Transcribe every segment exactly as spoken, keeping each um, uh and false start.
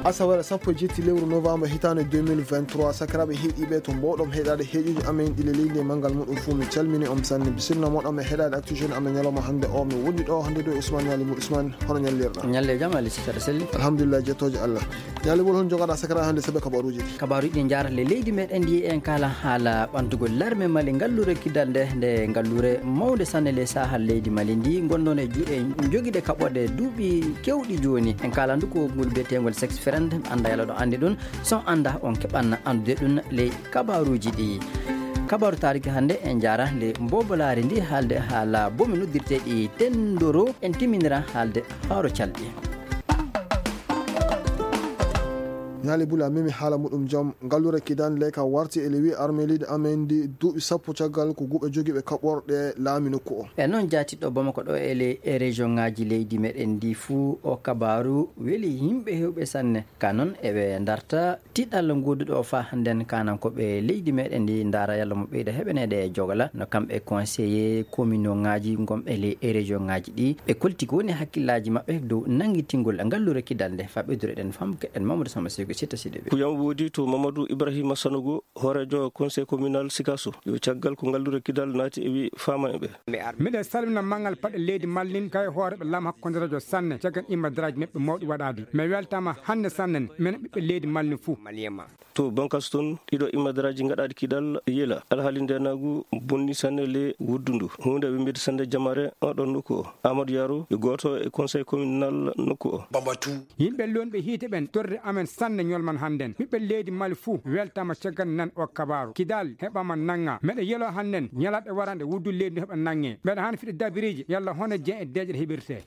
Asawere sappo e jetti lewru novembre hitaande deux mille vingt-trois, sakiraaɓe heɗiiɓe to mboowɗon heɗaade heɗuuji amen ɗi ley leydi e manngal muɗum fuu, mi calmini on sanne. Bisimilla mooɗon e heɗaade Actu Jeune amen ñalawma hannde o. Mi wondi ɗo hannde ɗo e Ousmane Ñaali Mul. Ousmane, hono ñallirɗaa? Ñalle jam, Ali Sitara Selli. Alhamdulillah, jettooje Allah. Ñaali Mul, hono njogaɗaa sakiraaɓe hannde saabe kabaruuji ɗi? Kabaruuji ɗi njaara ley leydi meɗen ndi, en kaala haala ɓantugol larme Mali, ngalluure kidal nde, nde ngalluure mawnde sanne ley saahal leydi Mali ndi, ngonnoon e juuɗe jogiiɗe kaɓorɗe duuɓi keewɗi jooni. En kaala ndu ko ngol biyeteengol sex friend, annda yalla ɗo anndi ɗum, so annda on keɓan anndude ɗum ley kabaruuji ɗi. Kabaaru taariki hannde en njaara ley mbobolaari ndi haalde haala bomi noddirteeɗi tendoro, en timminira haalde haaro calɗi. Ñaali Bula memi haala muɗum jam, ngalluure kidal nde ka warti e le huit armée leydi amen ndi duuɓi sappo caggal ko guɓe jogiiɓe kaɓorɗe laami nokku o. E noon jaatiɗo Bamako ɗo e le, e région ŋaaji leydi meɗen ndi fuu, o kabaaru weli yimɓe heewɓe sanne. Ka noon eɓe ndarta tiɗal ngooduɗo o faa hannden kaanankooɓe leydi meɗen ndi ndaara yalla mo ɓeyda heɓaneede e jogala no kamɓe conseiller commune ŋaaji ngonɓe ley e région ŋaaji ɗi. Ɓe kolti ko woni hakkillaaji maɓɓe dow nanngitingol ngalluure kidal nde. Faa ɓeydureɗen faamu keɗen Mamadou Samba Seyko Sitta Sidibe. Kuyam woodi to Mamadou Ibrahima Sanogo, hooreejo conseil communal Sikaso, yo caggal ko ngalluure kidal naati e wi faama e ɓe. Miɗen salmina manngal paɗe leydi Mali nin kay hooreeɓe laamu hakkondireejo sanne caggal immadaraaji maɓɓe mawɗi waɗaadi. Mi weltaama hannde sanne minen ɓiɓɓe leydi Mali nin fuu. To Bankas toon, ɗiɗo immadaraaji gaɗaaɗi kidal yela. Alhaali ndeenaagu bonni sanne le wuddu ndu. Huunde wemmbide sanne jamare oɗon nokku o. Amadou Yaro yo gooto e conseil communal nokku o. Yimɓe luunɓe hiite ɓen torri amen sanne ñolman hannden. Ɓiɓɓe leydi Mali fuu weltaama caggal nan o kabaaru. Kidal heɓaama nanngaa. Meɗe yeloo hannden ñalaaɗe waranɗe wuddu leydi ndi heɓa nanngee. Meɗe haani fiɗde dabiriiji yalla hono jeyan e deeƴere heɓirtee.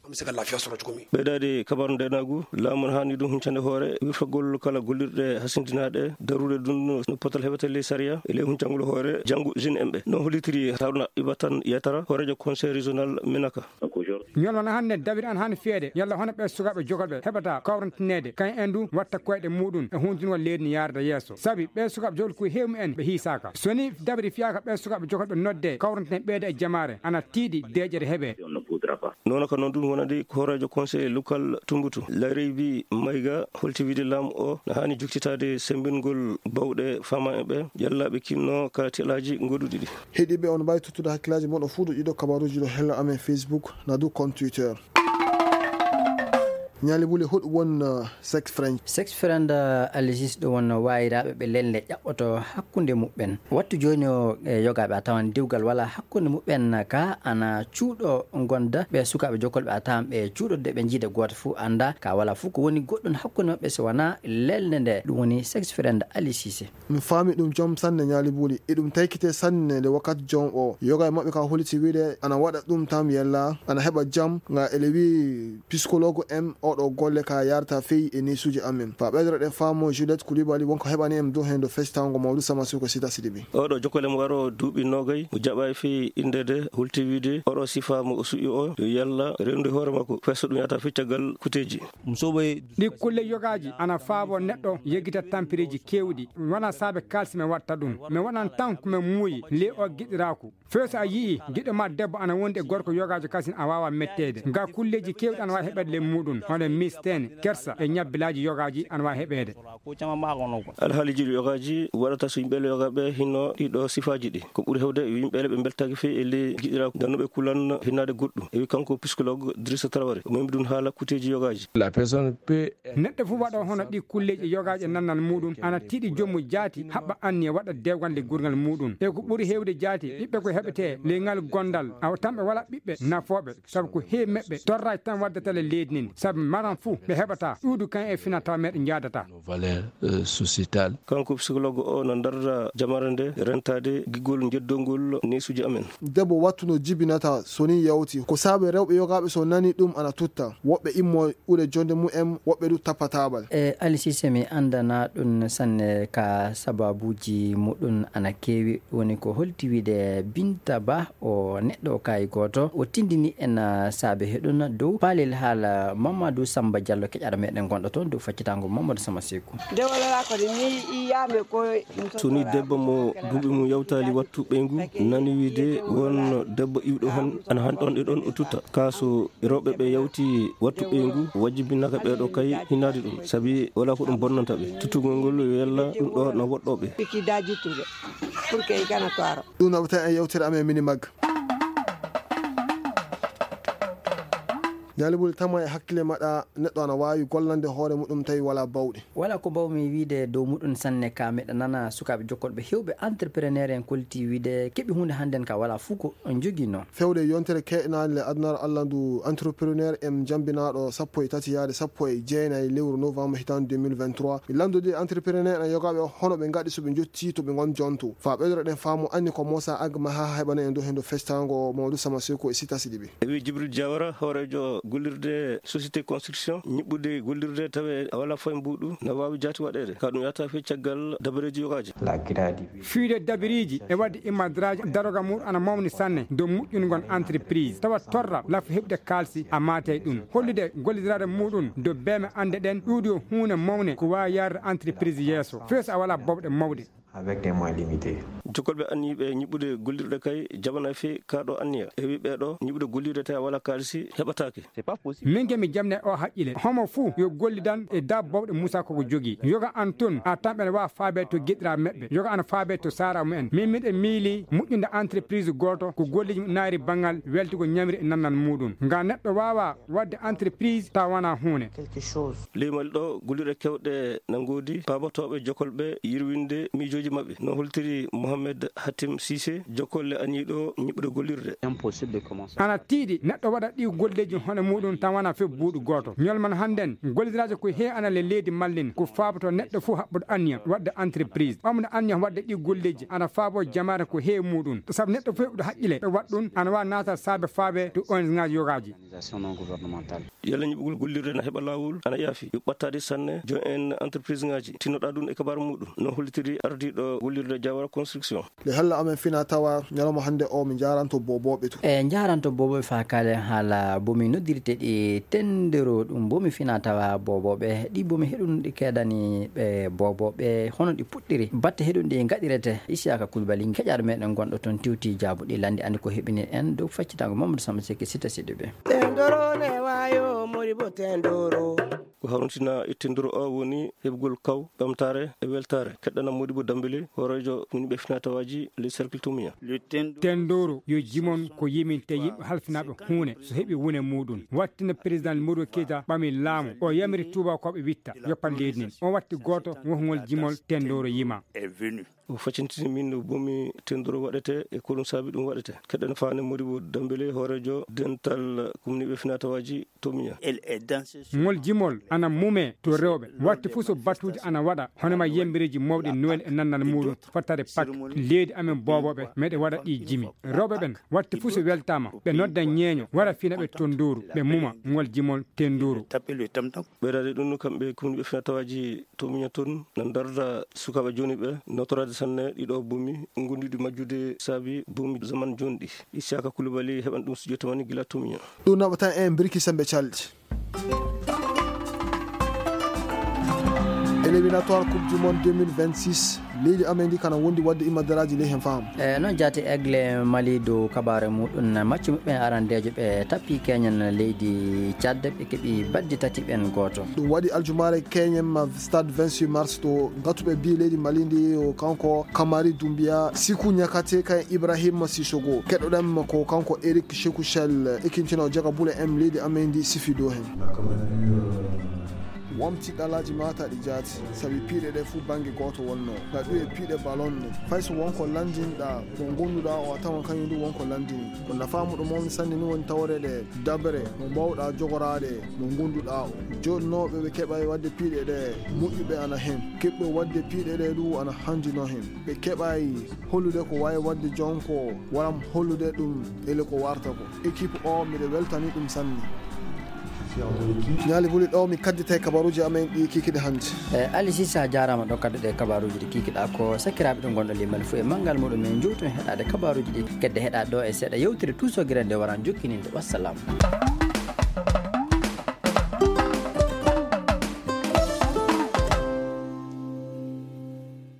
Ɓeydaade kabaaru ndeenaagu, laamu no haani ɗum huncande hoore wirtagol kala gollirɗe hasindinaaɗe, darude ɗum no potal heɓete ley sariya e ley huncangol hoore janngo jeune en ɓe. No hollitiri Haruna Ibatan Yatara, hooreejo conseil régional Menaka. Ñolma no hannde dabiri ana haani fiyeede yalla hono ɓee sukaaɓe jokolɓe heɓata kawrantineede, kañum en du watta koyɗe muuɗum e huuntungol leydi ndi yaarda yeeso. Sabi ɓee sukaaɓe jokolɓe ko heewi mumen ɓe hiisaaka. So ni dabiri fiyaaka ɓee sukaaɓe jokolɓe noddee kawrantinen ɓeyda e jamaare ana tiiɗi deeƴere heɓee. Noon ka noon ɗum wonande ko hooreejo conseil local Tumbatu, Lareybi Mayga, holti wiide laamu o no haani joktitaade semmbingol baawɗe faama e ɓe yalla ɓe kinno ka tiɗalaaji goɗɗuɗi ɗi. Heɗiiɓe, on mbaawi tottude hakkillaaji mon o fuu ɗo ɗiɗo kabaruuji ɗo hello amen Facebook, na du compte Twitter. Ñaali Buli, hoɗum won, uh, sex friend? Sex friend, uh, Alisis, ɗum won waayiraaɓe ɓe lelnde ƴaɓɓoto hakkunde muɓɓen. Wattu jooni o, e yogaaɓe a tawan dewgal walaa hakkunde muɓɓen, ka ana cuuɗo ngonda ɓe sukaaɓe jokkolɓe a tawan ɓe cuuɗo de ɓe njiida gooto fuu annda ka walaa fuu ko woni goɗɗum hakkunde maɓɓe so wanaa lelnde nde. Ɗum woni sex friend Alisis. Mi faami ɗum jom sanne Ñaali Buli. Iɗum taykitee sanne nde wakkati jom o. Yoga e maɓɓe ka holiti wiide ana waɗa ɗum tan yella, ana heɓa jam, nga ele wi psychologue em oɗo golle ka yarata fey e neesuuji amen. Fa ɓeydoro ɗen faamu Juliette Koulibaly wonko heɓani em dow heen do festaango Mawdu Sama Suko Sita Sidibi. Oɗo jokkole mo waro duuɓi noogay, mo jaɓaay fey innde de, holti wiide oɗo sifa mo o suƴƴi o, yo yalla rewndi hoore makko, fay so ɗum yata fey caggal kuteeji. Ɗi kulle yogaaji ana faaboo neɗɗo yeggita tampereeji keewɗi. Wonaa saabe kaalisi mi waɗta ɗum. Mi waɗan tan ko mi muuyi ley oo giɗiraaku. Fey so a yi'ii giɗo maa debbo ana wondi e gorko yogaajo kasin a waawaa metteede. Ngaa kulleeji keewɗi ana waawi heɓeede ley muuɗum, hono miisteene, kersa e ñabbilaaji yogaaji ana waawi heɓeede. Alhaaliiji ɗi yogaaji waɗata so yimɓe yogaaɓe hinno ɗii ɗoo sifaaji ɗi. Ko ɓuri heewde yo yimɓe ɓe mbeltaaki fey e ley giɗiraaku, ndanno ɓe kulan hinnaade goɗɗum. E wi kanko psychologue Drissa Traoré, o memi ɗum haala kuteeji yogaaji. La personne peut Neɗɗo fof waɗoo hono ɗii kulleeji e yogaaji e nannal muuɗum, ana tiiɗi joom mum jaati, haɓɓa anniya waɗa dewgal nde gurngal muuɗum. E ko ɓuri heewde jaati, ɓiɓɓe ko heɓetee ley ngal gondal, awa tan ɓe walaa ɓiɓɓe nafooɓe, sabu ko heewi maɓɓe torraaki tan waddata le leydi ndin, sabu maran fof ɓe heɓataa, ɗuuɗi kan e fina tawa meɗe njaadata. Nos valeurs, euh, sociétales. Kanko psychologue o no darda jamaare nde rentaade giggol njeddongol neesuuji amen. Debbo wattu no jibinata so ni yawti. Ko saabe rewɓe yogaaɓe so nani ɗum ana tutta. Woɓɓe immo ɓure jonde mumen, woɓɓe du tappa taabal. E, Ali Sise, mi anndanaa ɗun sanne ka sababuuji muɗun ana keewi. Woni ko holti wiide Binta Ba, o neɗɗo kaayi gooto, o tinndini en, ah, saabe heɗun dow paalel haala Mamadou Ɗum Samba Diallo keƴaɗo meɗen gonɗo toon dow faccitaango Mamadou Sama Seku. Nde wonanaa ko ni mi yiyaama ko. So ni debbo mo duuɓi mum yawtaali wattu ɓeyngu nani wiide won debbo iwɗo hon ana han ɗon e ɗon o tutta. Kaa so rewɓe ɓe yawti wattu ɓeyngu, wajibinaka ɓeeɗo kay hinaade ɗum, sabi walaa ko ɗum bonnanta ɓe. Tuttugol ngol yo yalla ɗum ɗo no woɗɗoo ɓe. Piki daji tuɓe. Pour que i gana toaro. Ɗum naɓata en yewtere amen mini mag. Ñaali Buli, tama e hakkille maɗa, neɗɗo ana waawi gollande hoore muɗum tawi walaa bawɗe. Walaa ko mbawmi wiyde dow muɗum sanne, ka miɗa nana sukaaɓe jokkorɓe heewɓe entrepreneur en kollitii wiyde keɓi huunde hannden ka walaa fuu ko njoginoo. Fewde e yontere keɗnaande le adunaaru Alla ndu entrepreneur en jambinaaɗo sappo e tati yaade sappo e jeenayi lewru novembre hitaande deux mille vingt-trois, mi lanndodii entrepreneur en yogaaɓe hono ɓe ngaɗi so ɓe njottii to ɓe ngon jonto. Faa ɓeydoro ɗen faamu anni ko Moussa Agma haa heɓana en dow heen dow festango Mamadou Sama Seku e Sita Sidibe. E wii Jibril Diawara, hooreejo gollirde société construction, ñiɓɓude gollirde tawe a walaa fay mbuuɗu, na waawi jaati waɗeede. Ka ɗum yahata fii caggal dabareeji yogaaji. Fiide dabiriiji e waɗde immadraaji daroga mum ana mawni sanne dow moƴƴungol entreprise. Tawa torra lafa heɓude kaalsi a maatay ɗum. Hollude gollidiraade muɗum dow beeme annde ɗen ɗuuɗi o huunde mawne ko waawi yaarde entreprise yeeso. Fii so a walaa bawɗe mawɗe. Avec des moyens limités. Jokkolɓe anniyiiɓe ñiɓɓude gollirɗe kay jaɓanaa fii kaa ɗoo anniya. E wii ɓee ɗoo, ñiɓɓude gollirɗe tawi a walaa kaalisi heɓataake. Min ke mi jamne o haqqile. Homo fuu yo gollidan e daa bawɗe Musa ko ko jogii. Yoga an tun, a tamɓe ne waa faabe to giɗraa meɓɓe. Yoga an faabe to saara mumen. Min miɗe miili moƴƴunde entreprise gooto ko golleeji mum naayri banngal weltugol ñamri e nannal muɗum. Nga neɗɗo waawa waɗde entreprise tawa wanaa huunde. Ley Mali ɗoo, gollirɗe keewɗe na ngoodi, paabotooɓe, jokolɓe, yirwinde miijooji maɓɓe. No holtiri Mohamed Hatim Sise, jokkolle aniiɗo ñiɓɓude gollirde. Ana tiiɗi neɗɗo waɗa ɗii golleeji hono muɗum tan wanaa fii buuɗu gooto. Ñol man hannden, gollidiraaji ko heewi ana le leydi Mali ndin, ko faabotoo neɗɗo fuu haɓɓude anniya waɗde entreprise. Ɓamde anniya waɗde ɗii golleeji ana faaboo jamaare ko heewi muɗum. Sabu neɗɗo fuu heɓuɗo haqqile e waɗ ɗum, ana waawi naata saabe faabe to O N G ŋaaji yogaaji. Yalla ñiɓugol gollirde na heɓa laawol? Ana yaafi. Yo ɓattaade sanne joom en entreprise ŋaaji. Tinnoɗaa ɗum e kabaaru muɗum. No hollitiri ardiiɗo gollirde Jawara Construction. Nde hella amen fina tawa ñalawma hannde o, mi njaaranto boobooɓe to. E njaaranto boobooɓe faa kaalen haala bomi noddirte ɗi tendero ɗum bomi fina tawa boobooɓe. Ɗi bomi heɗum ɗi keedani ɓe boobooɓe hono ɗi puɗɗiri. Batte heɗum ɗi ngaɗirete. Isiyaka Kulbali, keƴaaɗo meɗen gonɗo toon Tiwti Jaabu ɗi lanndi anndi ko heɓini en dow faccitaango Mamadou Samba Seck Sita Sidibe. Tendoro ne wayo mori bo tendoro. Ko hawrintinaa e tendoro o woni heɓugol kaw, ɓamtaare e weltaare. Keɗɗana Modibo Dambele, hooreejo woni ɓe finatawaaji le cercle Tomiya. Tendoro yo jimon ko yiminte yimɓe halfinaaɓe huune so heɓi wune muɗum. Wattina président Modibo Keita ɓami laamu, o yamiri tuubakooɓe witta yoppan leydi ndin. On watti gooto wokngol jimol tendoro yima. O facintini min no bomi tendoro waɗete e ko ɗum saabi ɗum waɗete. Keɗɗen faande Modibo Dambele, hooreejo dental kumniiɓe finatawaaji Tomiya. Ngol jimol ana mumee to rewɓe. Watti fuu so batuuji ana waɗa, hono ma yembereeji mawɗi Noel e nannal muɗum, fottare Pak, leydi amen boobooɓe, meɗe waɗa ɗi jimi. Rewɓe ɓen, watti fuu so weltaama, ɓe nodda ñeeño, wara fina ɓe tondooru, ɓe muma ngol jimol tendooru. Ɓeydaade ɗum, kamɓe kumniiɓe finatawaaji Tomiya toon na ndarda sukaaɓe jooni ɓe, nootoraade sanne ɗiɗo boomi ngonduɗi majjude saabi boomi zaman jooni ɗi. Isiyaka Kulubali heɓan ɗum studio tamani gila Tomiya. Ɗum naɓata en birki sembe calɗi. Éliminatoire Coupe du Monde deux mille vingt-six, leydi amen ndi kana wondi waɗde imadaraaji ley hen faham. E noon jaati Aigle Mali dow kabaare muɗum, maccu muɓɓen arandeejo ɓe tappi keñen leydi Tchad, ɓe keɓi baddi tati ɓen gooto. Ɗum waɗi aljumaare keñen ma stade vingt-six mars to ngatuɓe bi leydi Mali ndi o kanko Kamari Doumbia, Siku Niakate kay Ibrahim Sissoko. Keɗoɗen ma ko kanko Eric Chekouchel, ekintino jaga bule en leydi amen ndi sifi dow hen. Wamti ɗalaaji mata ɗi jaati, sabi piiɗe ɗe fuu bannge gooto wonnoo. Ngaɗu e piiɗe ballon no. Fay so won ko lanndinɗaa, mo ngonduɗaa o a tawan kañum du won ko lanndini. Ko nafaa mo ɗo mawni sanne ni woni tawreede daɓere mo mbaawɗaa jogoraade mo ngonduɗaa o. Joɗnooɓe ɓe keɓay waɗde piiɗe ɗe moƴƴuɓe ana hen. Keɓɓe waɗde piiɗe ɗe du ana hanndinoo hen. Ɓe keɓay hollude ko waawi waɗde jonko, walla hollude ɗum ele ko warta ko. Équipe o, miɗo weltani ɗum sanne. Ñaali Buli ɗo mi kadditay kabaruuji amen ɗi kikiɗe hannde. E Ali Sisa, a jaaraama ɗo kadduɗe kabaruuji ɗi kikiɗaa ko. Sakiraaɓe ɓe ngonɗo limal fuu e manngal muɗum, en njowtu en heɗaade kabaruuji ɗi kedde heɗaa ɗo e seeɗa yewtere tuusogire nde waran jokkininde. Wassalam.